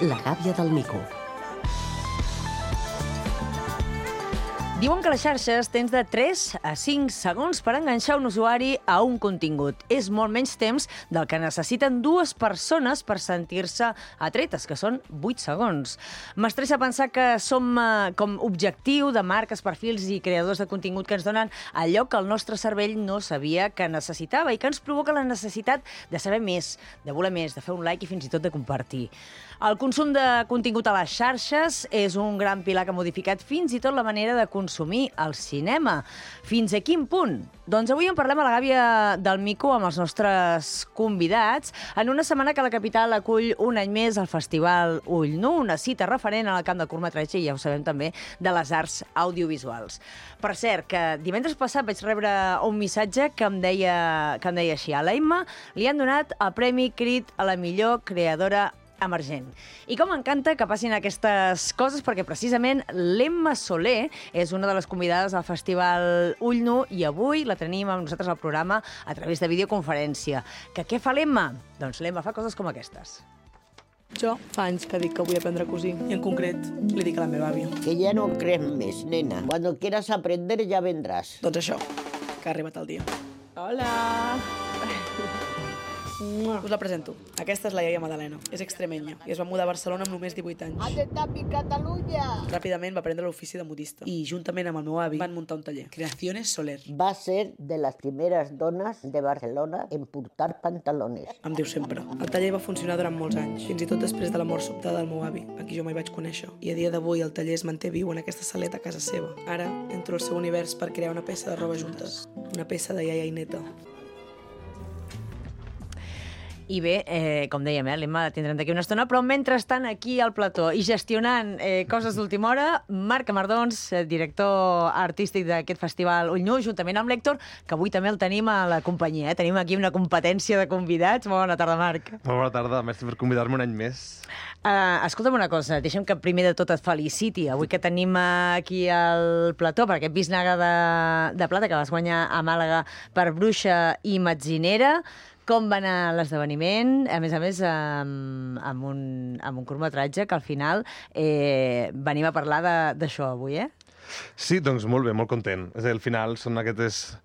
La gàbia del mico. Diuen que a les xarxes tens de 3 a 5 segons per enganxar un usuari a un contingut. És molt menys temps del que necessiten dues persones per sentir-se atretes, que són 8 segons. M'estressa pensar que som com objectiu de marques, perfils i creadors de contingut que ens donen allò que el nostre cervell no sabia que necessitava i que ens provoca la necessitat de saber més, de voler més, de fer un like i fins i tot de compartir. El consum de contingut a les xarxes és un gran pilar que ha modificat fins i tot la manera de consumir el cinema. Fins a quin punt? Doncs avui en parlem a la gàbia del mico amb els nostres convidats en una setmana que la capital acull un any més el Festival Ull Nu, una cita referent al camp del curtmetratge i ja ho sabem també de les arts audiovisuals. Per cert, que divendres passat vaig rebre un missatge que em deia així: a la Emma li han donat el Premi Crit a la millor creadora emergent. I com m'encanta que passin aquestes coses, perquè precisament l'Emma Soler és una de les convidades al Festival Ull Nu i avui la tenim amb nosaltres al programa a través de videoconferència. Que què fa l'Emma? Doncs l'Emma fa coses com aquestes. Jo fa anys que dic que vull aprendre a cosir i en concret li dic a la meva àvia. Que ya no crees més, nena. Cuando quieras aprender ya vendrás. Doncs això, que ha arribat el dia. Hola! Us la presento. Aquesta és la iaia Madalena. És extremenya i es va mudar a Barcelona amb només 18 anys. ¡Hazte tapi, Catalunya! Ràpidament va aprendre l'ofici de modista i, juntament amb el meu avi, van muntar un taller. Creaciones Soler. Va ser de las primeras donas de Barcelona en portar pantalones. Em diu sempre. El taller va funcionar durant molts anys, fins i tot després de la mort sobtada del meu avi, a qui jo mai vaig conèixer. I a dia d'avui el taller es manté viu en aquesta saleta a casa seva. Ara entro al seu univers per crear una peça de roba juntes. Una peça de iaia i neta. I bé, com dèiem, l'Emma la tindrem d'aquí una estona, però mentrestant aquí al plató i gestionant coses d'última hora, Marc Amardons, director artístic d'aquest festival Ull Nu, juntament amb l'Hèctor, que avui també el tenim a la companyia. Tenim aquí una competència de convidats. Bona tarda, Marc. Molt bona tarda, merci per convidar-me un any més. Escolta'm una cosa, deixa'm que primer de tot et feliciti. Avui que tenim aquí al plató per aquest bisnaga de plata que vas guanyar a Màlaga per Bruixa i Metzinera. Com va anar l'esdeveniment? A més, amb un curtmetratge que al final venim a parlar d'això avui, eh? Sí, doncs molt bé, molt content. És a dir, al final són aquestes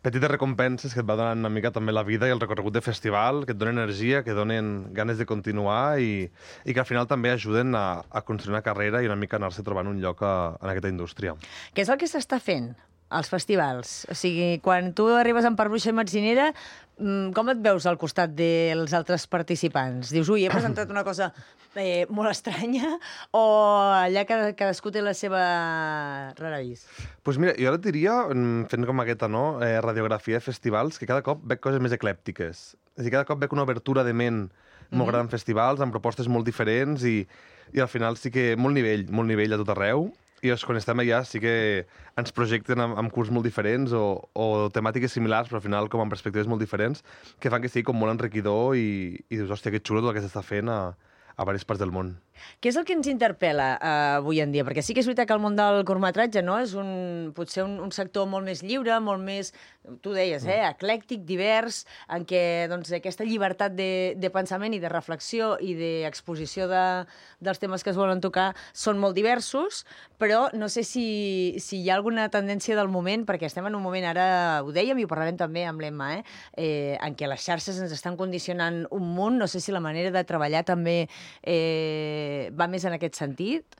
petites recompenses que et va donant una mica també la vida i el recorregut de festival, que et donen energia, que donen ganes de continuar i que al final també ajuden a construir una carrera i una mica anar-se trobant un lloc en aquesta indústria. Què és el que s'està fent als festivals? O sigui, quan tu arribes amb Per Bruixa i Metzinera, com et veus al costat dels altres participants? Dius, ui, he presentat una cosa molt estranya, o allà cadascú té la seva rara vis? Doncs mira, jo ara et diria, fent com aquesta radiografia de festivals, que cada cop veig coses més eclèptiques. És a dir, cada cop veig una obertura de ment molt gran en festivals, amb propostes molt diferents i al final sí que molt nivell a tot arreu. I quan estem allà sí que ens projecten amb curs molt diferents o temàtiques similars, però al final com amb perspectives molt diferents, que fan que sigui com molt enriquidor i dius, hòstia, que xulo tot el que s'està fent a diverses parts del món. Què és el que ens interpel·la avui en dia? Perquè sí que és veritat que el món del curtmetratge és potser un sector molt més lliure, molt més, tu deies, eclèctic, divers, en què doncs, aquesta llibertat de pensament i de reflexió i d'exposició dels temes que es volen tocar són molt diversos, però no sé si hi ha alguna tendència del moment, perquè estem en un moment, ara ho dèiem i ho parlarem també amb l'Emma, en què les xarxes ens estan condicionant un munt, no sé si la manera de treballar també va més en aquest sentit?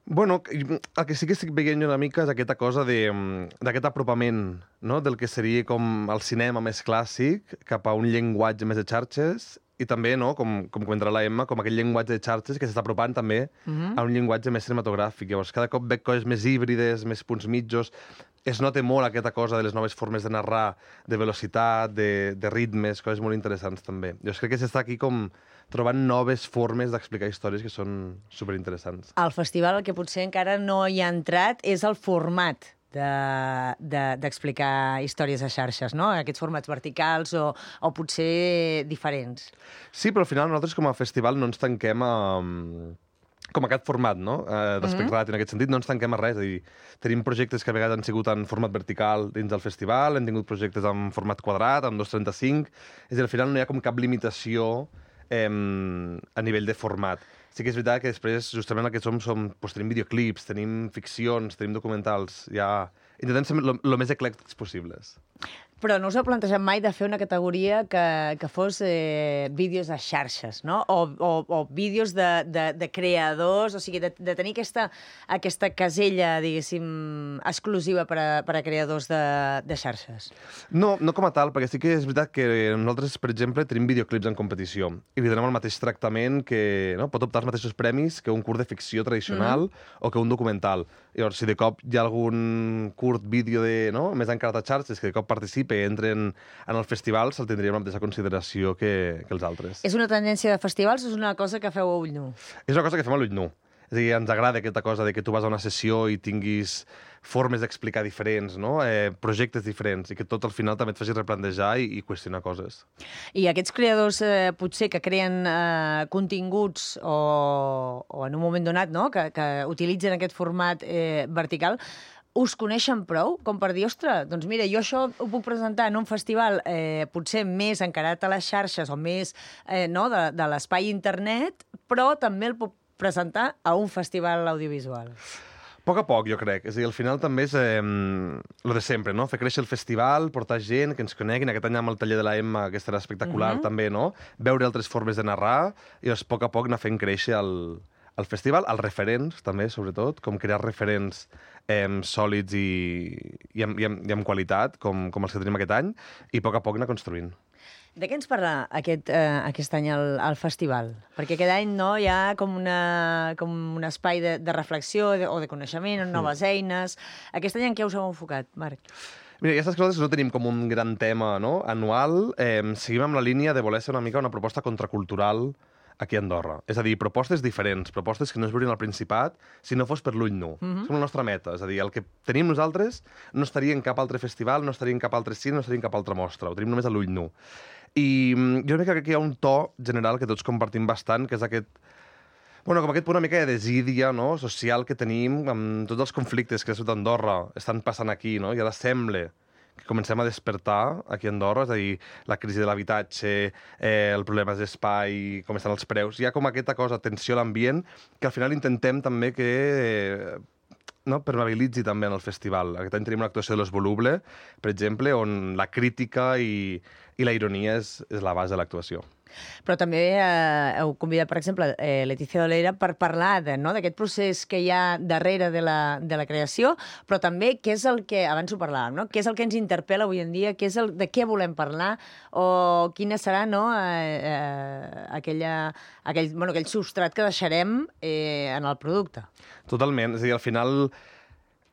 Bueno, el que sí que estic veient una mica és aquesta cosa d'aquest apropament, no?, del que seria com el cinema més clàssic cap a un llenguatge més de xarxes i també, no?, com comentarà la Emma, com aquell llenguatge de xarxes que s'està apropant també a un llenguatge més cinematogràfic. Llavors, cada cop veig coses més híbrides, més punts mitjos. Es nota molt aquesta cosa de les noves formes de narrar, de velocitat, de ritmes, coses molt interessants també. Jo crec que s'està aquí com trobant noves formes d'explicar històries que són superinteressants. Al festival el que potser encara no hi ha entrat és el format d'explicar històries a xarxes, no? Aquests formats verticals o potser diferents. Sí, però al final nosaltres com a festival no ens tanquem com aquest format, no? D'espectacle, en aquest sentit, no ens tanquem a res. És a dir, tenim projectes que a vegades han sigut en format vertical dins del festival, hem tingut projectes en format quadrat, amb 2.35, és a dir, al final no hi ha com cap limitació a nivell de format. Sí que és veritat que després, justament el que doncs tenim videoclips, tenim ficcions, tenim documentals, ja intentem ser el més eclèctics possibles. Però no us heu plantejat mai de fer una categoria que fos vídeos a xarxes, no? O vídeos de creadors, o sigui, de tenir aquesta casella, diguéssim, exclusiva per a creadors de xarxes? No com a tal, perquè sí que és veritat que nosaltres, per exemple, tenim videoclips en competició i li donem el mateix tractament que pot optar als mateixos premis que un curt de ficció tradicional o que un documental. Llavors, si de cop hi ha algun curt vídeo més encarat a xarxes que de cop participa i entren en el festival, se'l tindria amb la mateixa consideració que els altres. És una tendència de festivals o és una cosa que feu a ull nu? És una cosa que fem a l'ull nu. És a dir, ens agrada aquesta cosa de que tu vas a una sessió i tinguis formes d'explicar diferents, projectes diferents, i que tot al final també et faci replantejar i qüestionar coses. I aquests creadors, potser, que creen continguts o en un moment donat, que utilitzen aquest format vertical, us coneixen prou com per dir, ostres, doncs mira, jo això ho puc presentar en un festival potser més encarat a les xarxes o més de l'espai internet, però també el puc presentar a un festival audiovisual. A poc, jo crec. És a dir, al final també és lo de sempre, no? Fer créixer el festival, portar gent, que ens coneguin. Aquest any amb el taller de la Emma, que estarà espectacular també, no? Veure altres formes de narrar i a poc anar fent créixer el festival, els referents també, sobretot, com crear referents sòlids i amb qualitat, com els que tenim aquest any, i a poc anar construint. De què ens parla aquest any al festival? Perquè aquest any hi ha com un espai de reflexió o de coneixement, noves eines. Aquest any en què us heu enfocat, Marc? Mira, aquestes coses no tenim com un gran tema anual. Seguim amb la línia de voler ser una mica una proposta contracultural aquí a Andorra. És a dir, propostes diferents, propostes que no es veurien al Principat si no fos per l'ull nu. És la nostra meta. És a dir, el que tenim nosaltres no estaria en cap altre festival, no estaria en cap altre cine, no estaria en cap altra mostra. Ho tenim només a l'ull nu. I jo crec que aquí hi ha un to general que tots compartim bastant, que és aquest com aquest punt una mica de desídia social que tenim amb tots els conflictes que a Ciutat d'Andorra estan passant aquí, i ara sembla que comencem a despertar aquí a Andorra, és a dir, la crisi de l'habitatge, el problema d'espai, com estan els preus. Hi ha com aquesta cosa, tensió a l'ambient, que al final intentem també que permeabilitzi també en el festival. Aquest any tenim una actuació de Los Voluble, per exemple, on la crítica i la ironia és la base de l'actuació. Però també heu convidat, per exemple, Letícia Dolera per parlar d'aquest procés que hi ha darrere de la creació, però també què és el que, abans ho parlàvem, què és el que ens interpel·la avui en dia, de què volem parlar, o quina serà aquell substrat que deixarem en el producte. Totalment. És a dir, al final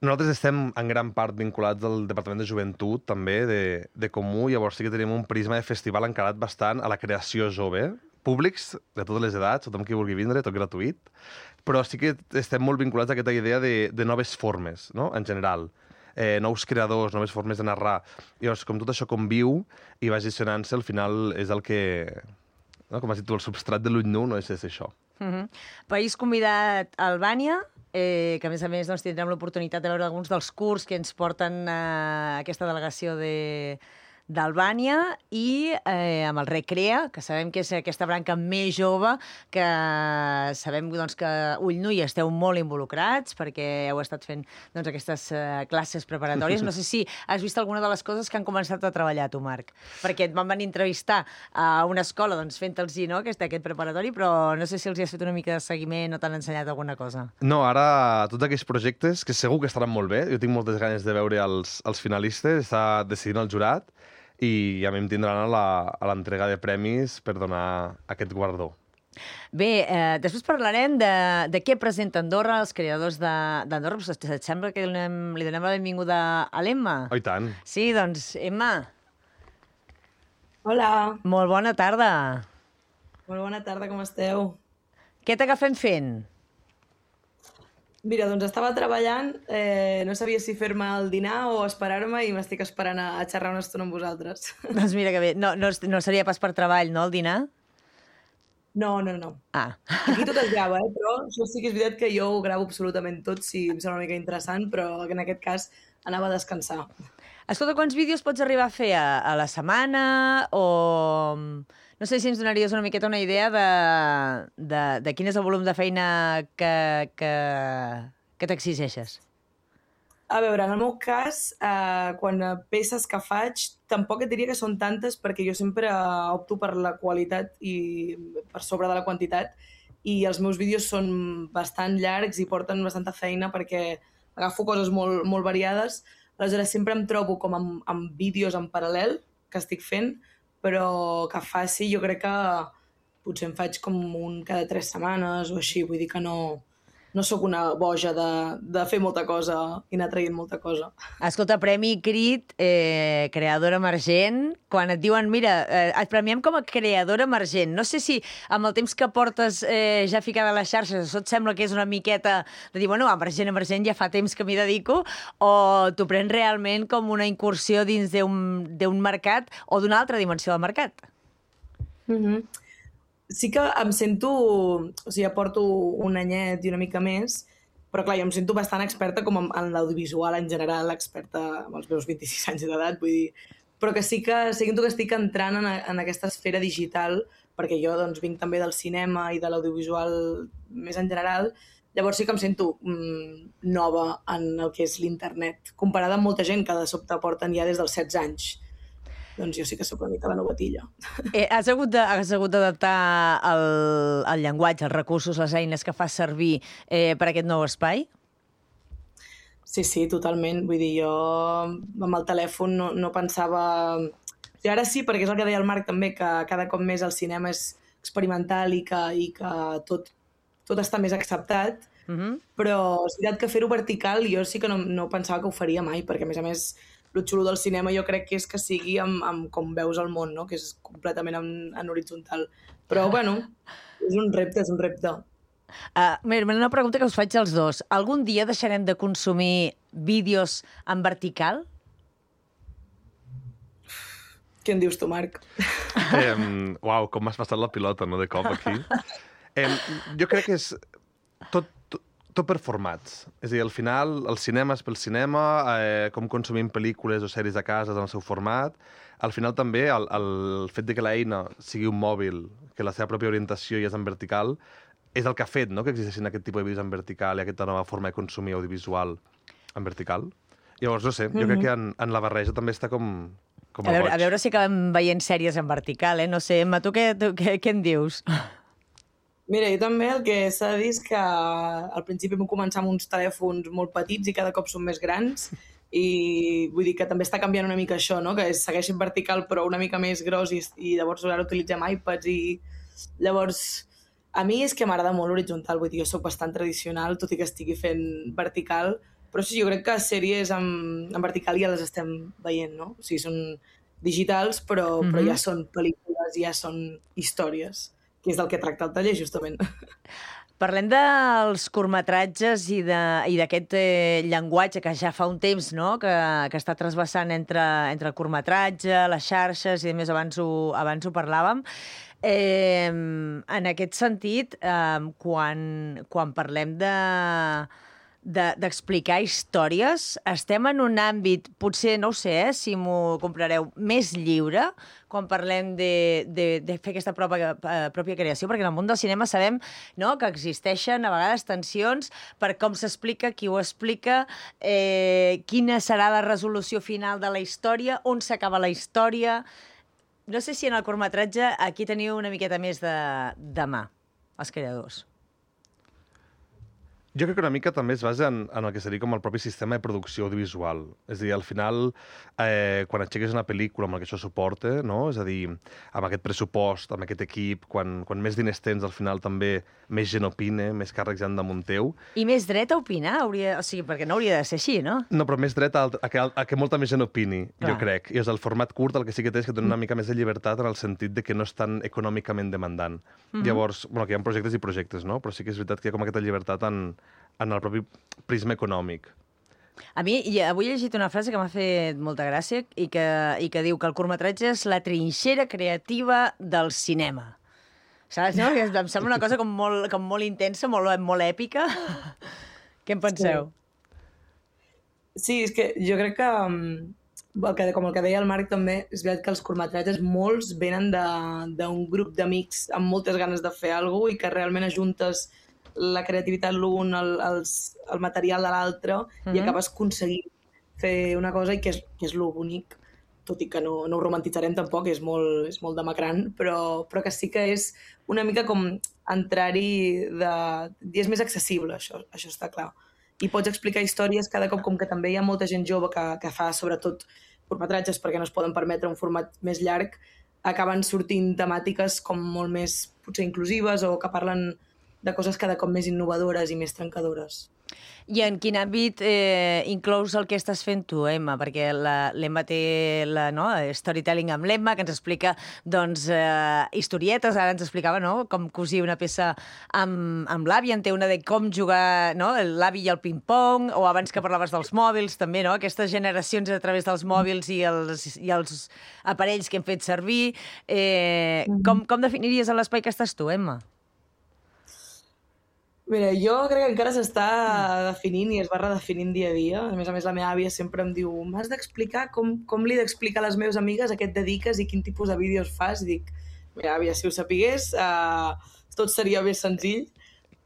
nosaltres estem en gran part vinculats al Departament de Joventut, també, de Comú, llavors sí que tenim un prisma de festival encarat bastant a la creació jove, públics de totes les edats, tothom qui vulgui vindre, tot gratuït, però sí que estem molt vinculats a aquesta idea de noves formes, en general. Nous creadors, noves formes de narrar. Llavors, com tot això conviu i va gestionant-se, al final és el que, com has dit tu, el substrat de l'ull nu no és això. País convidat a Albània, que a més tindrem l'oportunitat de veure alguns dels curts que ens porten aquesta delegació d'Albània i amb el Recrea, que sabem que és aquesta branca més jove, que sabem que ull nu hi esteu molt involucrats perquè heu estat fent aquestes classes preparatòries. No sé si has vist alguna de les coses que han començat a treballar tu, Marc, perquè et van venir a entrevistar a una escola fent-los aquest preparatori, però no sé si els hi has fet una mica de seguiment o t'han ensenyat alguna cosa. No, ara tots aquests projectes, que segur que estaran molt bé, jo tinc moltes ganes de veure els finalistes, està decidint el jurat, i ja em tindran a l'entrega de premis per donar aquest guardó. Bé, després parlarem de què presenta Andorra, els creadors d'Andorra. Et sembla que li donem la benvinguda a l'Emma? Oh, i tant. Sí, doncs, Emma. Hola. Molt bona tarda. Molt bona tarda, com esteu? Què t'agafem fent? Mira, doncs estava treballant, no sabia si fer-me el dinar o esperar-me i m'estic esperant a xerrar una estona amb vosaltres. Doncs mira que bé. No seria pas per treball, no, el dinar? No. Ah. Aquí tot es grava, però això sí que és veritat que jo ho gravo absolutament tot, si em sembla una mica interessant, però en aquest cas anava a descansar. Escolta, quants vídeos pots arribar a fer a la setmana o... No sé si ens donaries una miqueta una idea de quin és el volum de feina que t'exigeixes. A veure, en el meu cas, quan peces que faig, tampoc et diria que són tantes perquè jo sempre opto per la qualitat i per sobre de la quantitat i els meus vídeos són bastant llargs i porten bastanta feina perquè agafo coses molt, molt variades. Aleshores, sempre em trobo com amb vídeos en paral·lel que estic fent, però que faci, jo crec que potser en faig com un cada 3 setmanes o així, vull dir que no sóc una boja de fer molta cosa i anar traient molta cosa. Escolta, Premi Crit, creadora emergent, quan et diuen, mira, et premiem com a creadora emergent. No sé si amb el temps que portes ja ficada a les xarxes, això et sembla que és una miqueta de dir, bueno, emergent, ja fa temps que m'hi dedico, o t'ho prens realment com una incursió dins d'un mercat o d'una altra dimensió del mercat? Sí que em sento... O sigui, ja porto un anyet i una mica més, però clar, jo em sento bastant experta com en l'audiovisual en general, experta amb els meus 26 anys d'edat, vull dir... Però que sí que sento que estic entrant en aquesta esfera digital, perquè jo doncs, vinc també del cinema i de l'audiovisual més en general, llavors sí que em sento nova en el que és l'internet, comparada amb molta gent que de sobte porten ja des dels 16 anys. Doncs jo sí que sóc una mica la novatilla. Has hagut d'adaptar el llenguatge, els recursos, les eines que fas servir per aquest nou espai? Sí, totalment. Vull dir, jo amb el telèfon no pensava... I ara sí, perquè és el que deia el Marc també, que cada cop més el cinema és experimental i que tot està més acceptat, però és veritat que fer-ho vertical jo sí que no pensava que ho faria mai, perquè a més el xulo del cinema jo crec que és que sigui amb com veus el món, no? Que és completament en horitzontal. Però, bueno, és un repte. Mira, una pregunta que us faig als dos. Algun dia deixarem de consumir vídeos en vertical? Què en dius tu, Marc? Uau, com m'has passat la pilota, no?, de cop aquí. Jo crec que és tot per formats. És a dir, al final, el cinema és pel cinema, com consumim pel·lícules o sèries a casa en el seu format. Al final també el fet de que l'eina sigui un mòbil, que la seva pròpia orientació ja és en vertical, és el que ha fet, no?, que existeixin aquest tipus de vídeos en vertical i aquesta nova forma de consumir audiovisual en vertical. Llavors, no sé, jo crec que en la barreja també està com a veure si acabem veient sèries en vertical, No sé, Emma, tu què en dius? Mira, jo també el que s'ha de dir és que al principi vam començar amb uns telèfons molt petits i cada cop són més grans i vull dir que també està canviant una mica això, no? Que segueixin vertical però una mica més gros i llavors ara utilitzem iPads i llavors a mi és que m'agrada molt l'horitzontal, vull dir, jo soc bastant tradicional tot i que estigui fent vertical, però sí, jo crec que sèries en vertical ja les estem veient, no? O sigui, són digitals però ja són pel·lícules, ja són històries, que és del que tracta el taller, justament. Parlem dels curtmetratges i d'aquest llenguatge que ja fa un temps, no?, que està trasbassant entre el curtmetratge, les xarxes, i a més abans ho parlàvem. En aquest sentit, quan parlem d'explicar històries, estem en un àmbit, potser, no ho sé, si m'ho comprareu, més lliure, quan parlem de fer aquesta pròpia creació, perquè en el món del cinema sabem, no?, que existeixen a vegades tensions per com s'explica, qui ho explica, quina serà la resolució final de la història, on s'acaba la història. No sé si en el curtmetratge aquí teniu una miqueta més de mà, els creadors. Jo crec que una mica també es basa en el que seria com el propi sistema de producció audiovisual. És a dir, al final, quan aixeques una pel·lícula amb el que això suporta, no? És a dir, amb aquest pressupost, amb aquest equip, quan més diners tens, al final també més gent opina, més càrrecs hi han damunt teu. I més dret a opinar, o sigui, perquè no hauria de ser així, no? No, però més dret a que molta més gent opini, jo crec. I és el format curt el que sí que té és que dona una mica més de llibertat en el sentit de que no és tan econòmicament demandant. Llavors, bueno, que hi ha projectes i projectes, no? Però sí que és veritat que hi ha com aquesta llibertat en el propi prisma econòmic. A mi, avui he llegit una frase que m'ha fet molta gràcia i que diu que el curtmetratge és la trinxera creativa del cinema. Saps, no? Em sembla una cosa com molt intensa, molt èpica. Què en penseu? Sí, és que jo crec que com el que deia el Marc també, és veritat que els curtmetratges molts venen d'un grup d'amics amb moltes ganes de fer alguna cosa i que realment ajuntes la creativitat l'un, el material de l'altre i acabes aconseguint fer una cosa i que és lo bonic, tot i que no ho romantitzarem tampoc, és molt demacrant, però que sí que és una mica com entrar-hi i és més accessible, això està clar. I pots explicar històries cada cop, com que també hi ha molta gent jove que fa sobretot curtmetratges perquè no es poden permetre un format més llarg, acaben sortint temàtiques com molt més potser inclusives o que parlen de coses cada cop més innovadores i més trencadores. I en quin àmbit inclous el que estàs fent tu, Emma? Perquè l'Emma té storytelling amb l'Emma, que ens explica historietes, ara ens explicava com cosir una peça amb l'avi, en té una de com jugar l'avi i el ping-pong, o abans que parlaves dels mòbils, també, aquestes generacions a través dels mòbils i els aparells que hem fet servir. Com definiries l'espai que estàs tu, Emma? Mira, jo crec que encara s'està definint i es va redefinint dia a dia. A més, la meva àvia sempre em diu m'has d'explicar com li he d'explicar a les meves amigues a què et dediques i quin tipus de vídeos fas. I dic, mira, àvia, si ho sapigués, tot seria més senzill.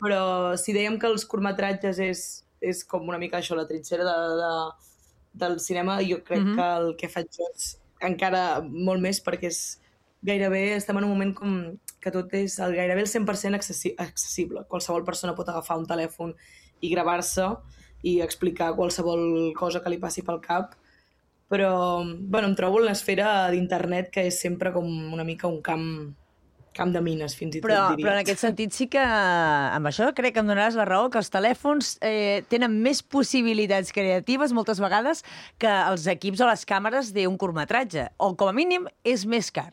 Però si dèiem que els curtmetratges és com una mica això, la trinxera del cinema, jo crec que el que faig jo és encara molt més, perquè és gairebé, estem en un moment com que tot és gairebé el 100% accessible. Qualsevol persona pot agafar un telèfon i gravar-se i explicar qualsevol cosa que li passi pel cap. Però em trobo en l'esfera d'internet, que és sempre com una mica un camp de mines, fins i tot, diria. Però en aquest sentit sí que, amb això crec que em donaràs la raó, que els telèfons tenen més possibilitats creatives moltes vegades que els equips o les càmeres d'un curtmetratge, o com a mínim és més car.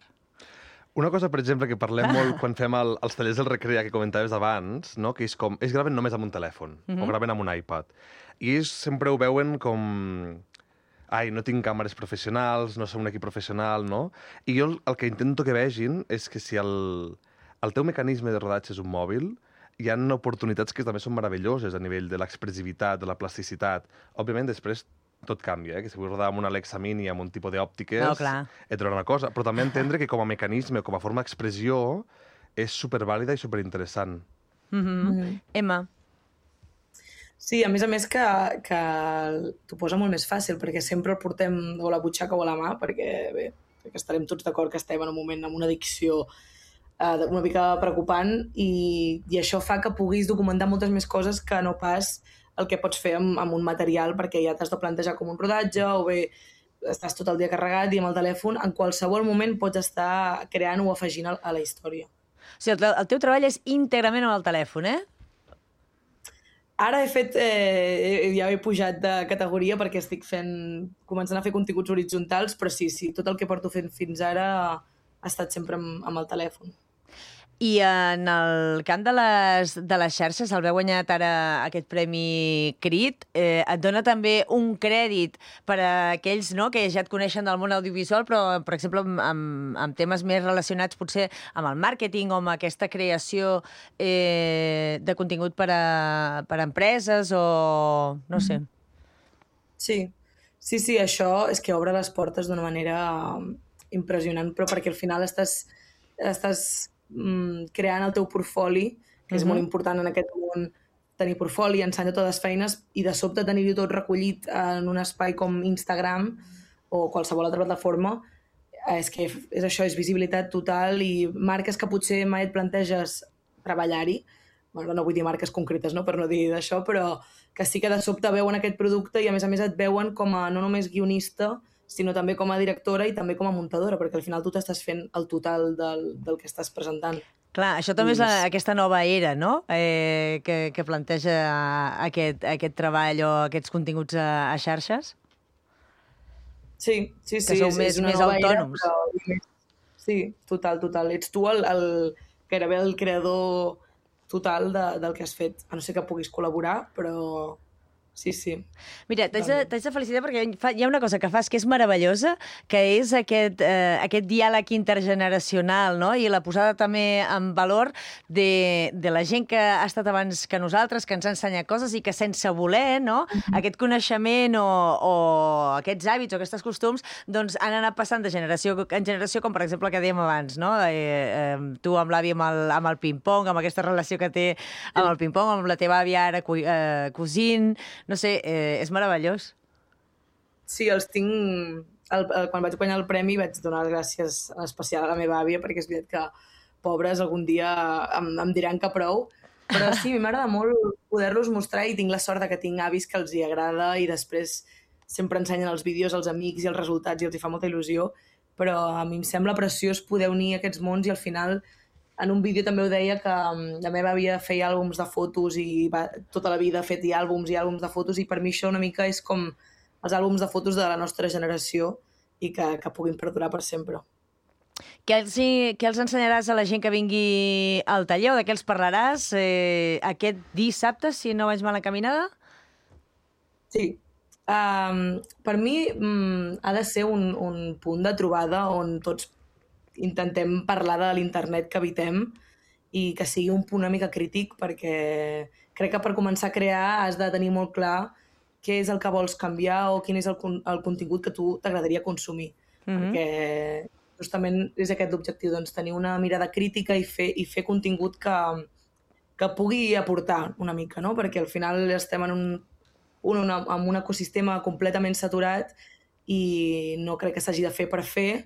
Una cosa, per exemple, que parlem molt quan fem els tallers del Recrea que comentaves abans, no? Que és com, ells graven només amb un telèfon, o graven amb un iPad. I ells sempre ho veuen com ai, no tinc càmeres professionals, no som un equip professional, no? I jo el que intento que vegin és que si el teu mecanisme de rodatge és un mòbil, hi ha oportunitats que també són meravelloses a nivell de l'expressivitat, de la plasticitat. Òbviament, després tot canvia, que si vull rodar amb una Alexa Mini amb un tipus d'òptiques, et trobarà una cosa. Però també entendre que com a mecanisme, com a forma d'expressió, és supervàlida i superinteressant. Emma? Sí, a més que t'ho posa molt més fàcil, perquè sempre el portem o a la butxaca o a la mà, perquè estarem tots d'acord que estem en un moment amb una addicció una mica preocupant i això fa que puguis documentar moltes més coses que no pas el que pots fer amb un material, perquè ja t'has de plantejar com un rodatge o bé estàs tot el dia carregat i amb el telèfon en qualsevol moment pots estar creant o afegint a la història. O sigui, el teu treball és íntegrament amb el telèfon, eh? Ara ja he pujat de categoria perquè estic començant a fer continguts horitzontals, però sí, tot el que porto fent fins ara ha estat sempre amb el telèfon. I en el camp de les xarxes, el haver guanyat ara aquest premi Crit, et dona també un crèdit per a aquells que ja et coneixen del món audiovisual, però, per exemple, amb temes més relacionats potser amb el màrqueting o amb aquesta creació de contingut per a empreses o no sé. Sí, això és que obre les portes d'una manera impressionant, però perquè al final estàs creant el teu portfoli, que és molt important en aquest món tenir portfoli, ensenyar totes les feines i de sobte tenir-ho tot recollit en un espai com Instagram o qualsevol altra plataforma, és que és això, és visibilitat total i marques que potser mai et planteges treballar-hi, no vull dir marques concretes, per no dir d'això, però que sí que de sobte veuen aquest producte i a més et veuen com a no només guionista, sinó també com a directora i també com a muntadora, perquè al final tu t'estàs fent el total del que estàs presentant. Clar, això també és aquesta nova era, no?, que planteja aquest treball o aquests continguts a xarxes? Sí. Que sou més autònoms. Sí, total. Ets tu gairebé el creador total del que has fet. A no ser que puguis col·laborar, però sí. Mira, t'haig de felicitar perquè hi ha una cosa que fas que és meravellosa, que és aquest diàleg intergeneracional, no? I la posada també en valor de la gent que ha estat abans que nosaltres, que ens ha ensenyat coses i que sense voler, no? Aquest coneixement o aquests hàbits o aquests costums doncs han anat passant de generació en generació, com per exemple el que dèiem abans, no? Tu amb l'avi amb el ping-pong, amb aquesta relació que té amb el ping-pong, amb la teva àvia ara cosint, no sé, és meravellós. Sí, els tinc... Quan vaig guanyar el premi vaig donar les gràcies en especial a la meva àvia, perquè és veritat que, pobres, algun dia em diran que prou. Però sí, a mi m'agrada molt poder-los mostrar i tinc la sort que tinc avis que els hi agrada i després sempre ensenyen els vídeos als amics i els resultats i els hi fa molta il·lusió. Però a mi em sembla preciós poder unir aquests mons i al final... En un vídeo també ho deia que la meva àvia feia àlbums de fotos i tota la vida ha fet àlbums de fotos i per mi això una mica és com els àlbums de fotos de la nostra generació i que puguin perdurar per sempre. Què els ensenyaràs a la gent que vingui al taller o de què els parlaràs aquest dissabte, si no vaig mal encaminada? Sí. Per mi ha de ser un punt de trobada on tots intentem parlar de l'internet que habitem i que sigui un punt una mica crític perquè crec que per començar a crear has de tenir molt clar què és el que vols canviar o quin és el contingut que tu t'agradaria consumir. Perquè justament és aquest l'objectiu, doncs, tenir una mirada crítica i fer contingut que pugui aportar una mica, no? Perquè al final estem en un ecosistema completament saturat i no crec que s'hagi de fer per fer,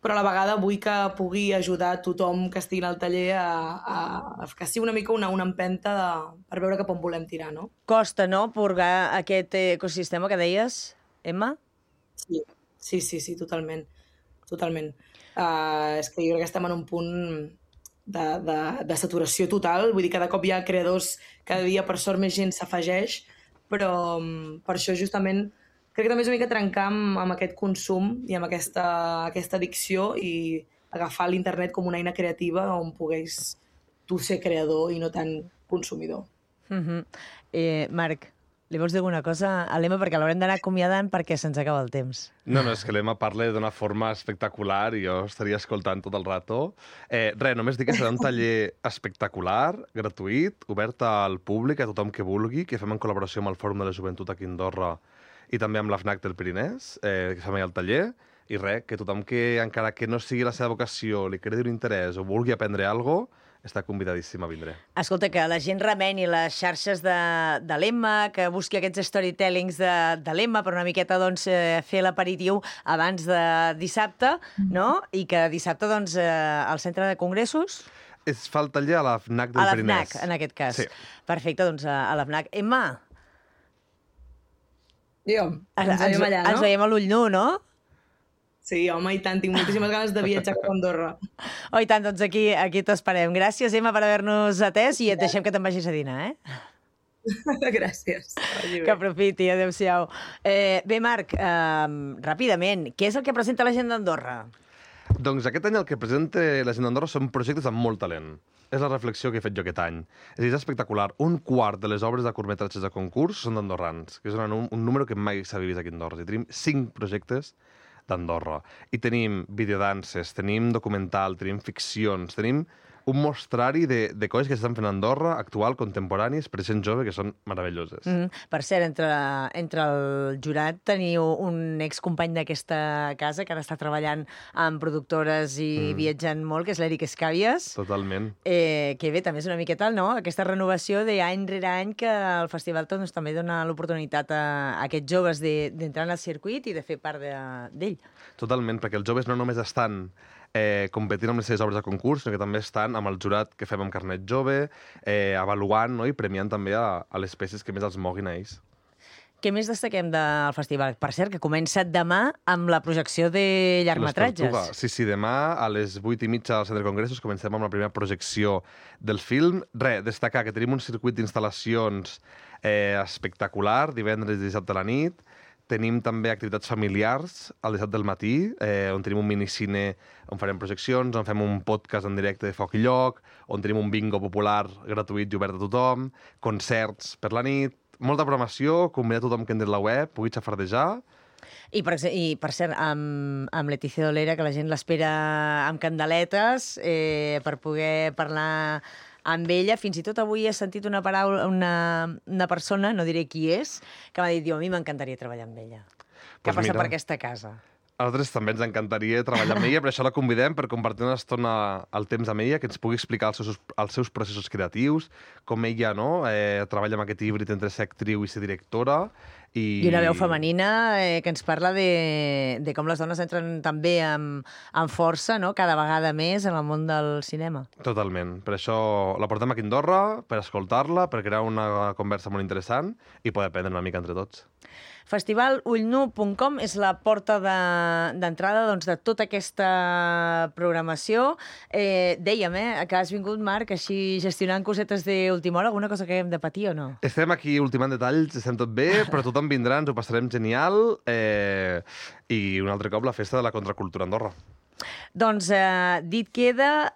però a la vegada vull que pugui ajudar tothom que estigui al taller a que sigui una mica una empenta per veure cap on volem tirar, no? Costa, no?, purgar aquest ecosistema que deies, Emma? Sí, totalment. És que jo crec que estem en un punt de saturació total, vull dir, cada cop hi ha creadors, cada dia per sort més gent s'afegeix, però per això justament crec que també és una mica trencar amb aquest consum i amb aquesta addicció i agafar l'internet com una eina creativa on pogués tu ser creador i no tant consumidor. Marc, li vols dir alguna cosa a l'Emma? Perquè l'haurem d'anar acomiadant perquè se'ns acaba el temps. No, és que l'Emma parla d'una forma espectacular i jo estaria escoltant tot el rato. Només dir que serà un taller espectacular, gratuït, obert al públic, a tothom que vulgui, que fem en col·laboració amb el Fòrum de la Joventut aquí a Andorra i també amb l'AFNAC del Pirinès, que fem allà al taller, i que tothom que, encara que no sigui la seva vocació, li credi un interès o vulgui aprendre alguna cosa, està convidadíssim a vindre. Escolta, que la gent remeni les xarxes de l'Emma, que busqui aquests storytellings de l'Emma per una miqueta doncs, fer l'aperitiu abans de dissabte, no? I que dissabte doncs, al centre de congressos... Es fa el taller a l'AFNAC del Pirinès. A l'AFNAC, en aquest cas. Sí. Perfecte, doncs a l'AFNAC. Emma... Ens veiem allà, no? Ens veiem a l'ull nu, no? Sí, home, i tant, tinc moltíssimes ganes de viatjar cap a Andorra. Oh, i tant, doncs aquí t'esperem. Gràcies, Emma, per haver-nos atès i et deixem que te'n vagis a dinar, Gràcies. Que aprofiti, adéu-siau. Bé, Marc, ràpidament, què és el que presenta la gent d'Andorra? Doncs aquest any el que presenta la gent d'Andorra són projectes amb molt talent. És la reflexió que he fet jo aquest any. És espectacular. Un quart de les obres de curtmetratges de concurs són d'andorrans, que és un número que mai s'ha vist aquí a Andorra. I tenim 5 projectes d'Andorra. I tenim videodances, tenim documental, tenim ficcions, tenim un mostrari de coses que s'estan fent a Andorra, actual, contemporànies, per gent jove, que són meravelloses. Per cert, entre el jurat teniu un excompany d'aquesta casa que ara està treballant amb productores i viatjant molt, que és l'Eric Escàvies. Totalment. Que bé, també és una miqueta, no?, aquesta renovació d'any rere any que el festival doncs, també dona l'oportunitat a aquests joves d'entrar en el circuit i de fer part d'ell. Totalment, perquè els joves no només estan competint amb les seves obres de concurs, sinó que també estan amb el jurat que fem amb carnet jove, avaluant, no?, i premiant també a les peces que més els moguin a ells. Què més destaquem del festival? Per cert, que comença demà amb la projecció de llargmetratges. Sí, demà a les 8:30 al Centre de Congressos comencem amb la primera projecció del film. Destacar que tenim un circuit d'instal·lacions espectacular, divendres i dissabte a la nit. Tenim també activitats familiars al dissabte del matí, on tenim un minicine on farem projeccions, on fem un podcast en directe de Foc i Lloc, on tenim un bingo popular gratuït i obert a tothom, concerts per la nit, molta programació, convidar tothom que entri a la web, pugui xafardejar. I per cert, amb Letícia Dolera, que la gent l'espera amb candeletes per poder parlar amb ella. Fins i tot avui he sentit una paraula, una persona, no diré qui és, que m'ha dit, a mi m'encantaria treballar amb ella. Que passa per aquesta casa. A nosaltres també ens encantaria treballar amb ella, per això la convidem per compartir una estona el temps amb ella, que ens pugui explicar els seus processos creatius, com ella treballa amb aquest híbrid entre ser actriu i ser directora. I una veu femenina que ens parla de com les dones entren també amb força, no? Cada vegada més en el món del cinema. Totalment. Per això la portem aquí a Andorra, per escoltar-la, per crear una conversa molt interessant i poder aprendre una mica entre tots. Festivalullnu.com és la porta d'entrada de tota aquesta programació. Dèiem, que has vingut, Marc, així gestionant cosetes d'última hora. Alguna cosa que hem de patir o no? Estem aquí ultimant detalls, estem tot bé, però tothom vindrà, ens ho passarem genial, i un altre cop la festa de la contracultura a Andorra. Doncs dit queda,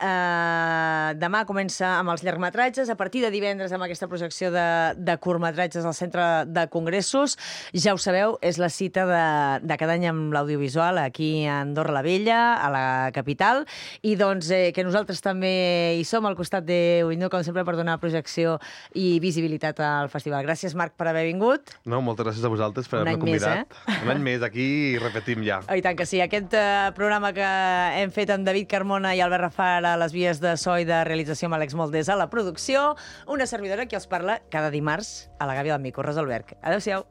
demà comença amb els llargmetratges, a partir de divendres amb aquesta projecció de curtmetratges al Centre de Congressos. Ja ho sabeu, és la cita de cada any amb l'audiovisual aquí a Andorra la Vella, a la capital, i doncs que nosaltres també hi som al costat d'Ullnu, com sempre, per donar projecció i visibilitat al festival. Gràcies, Marc, per haver vingut. No, moltes gràcies a vosaltres per haver-me convidat. Un any més aquí i repetim ja. I tant que sí. Aquest programa que hem fet amb David Carmona i Albert Rafar a les vies de so i de realització amb Àlex Moldés a la producció. Una servidora que els parla cada dimarts a la gàbia del Mico, Rosa Alberg. Adéu-siau.